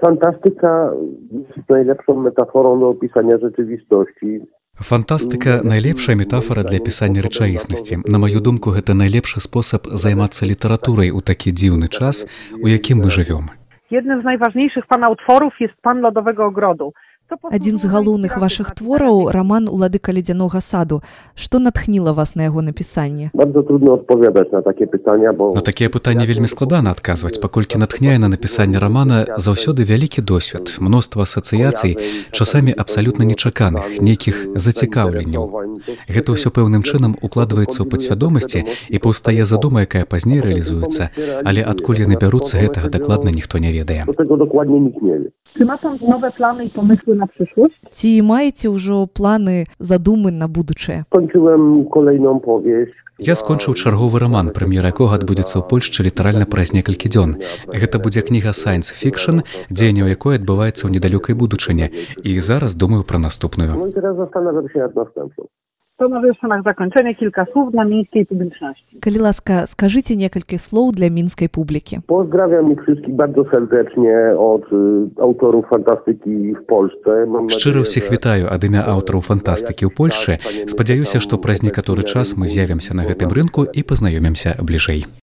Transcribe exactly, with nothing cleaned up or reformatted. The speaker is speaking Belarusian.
Fantastyka jest najlepszą metaforą do opisania rzeczywistości. Фантастыка – найлепшая метафора для апісання рэчаіснасці. На маю думку, гэта найлепшы спосаб займацца літаратурай у такі дзіўны час, у якім мы жывём. Jednym z najważniejszych pana utworów jest Pan Lodowego Ogrodu. Адзін з галоўных вашых твораў – раман «Уладыка ледзянога саду». Што натхніла вас на яго напісанне? Bardzo trudno odpowiadać na takie pytania, bo... На такія пытанні вельмі складана адказваць, паколькі натхняе на напісанне рамана заўсёды вялікі досвед, мноства асацыяцый, часамі абсалютна нечаканых, нейкіх зацікаўленняў. Гэта ўсё пэўным чынам укладваецца ў падсвядомасці і паўстае задума, якая пазней рэалізуецца, але адкуль яны бяруцца, гэтага дакладна ніхто не ведае. Tego dokładnie nikt nie wie. Czy ma pan nowe plany i pomysły na przyszłość? Ці маеце ўжо планы, задумы на будучае? Skończyłem kolejną powieść. Я скончыў чарговы раман, прэм'ера якога адбудзецца ў Польшчы літаральна праз некалькі дзён. Гэта будзе кніга сайнс-фікшн, дзеянне ў якой адбываецца ў недалёкай будучыні. І зараз думаю пра наступную. No i teraz zastanawiam się nad następną. To może jeszcze na zakończenie kilka słów dla miejskiej publiczności. Калі ласка, скажыце некалькі слоў для мінскай публікі. Pozdrawiam ich wszystkich bardzo serdecznie od y, autorów fantastyki w Polsce. Mam Шчыра nadzieję, ўсіх że- вітаю ад імя аўтараў фантастыкі ў Польшчы. Спадзяюся, што праз некаторы час мы з'явімся на гэтым рынку і пазнаёмімся бліжэй.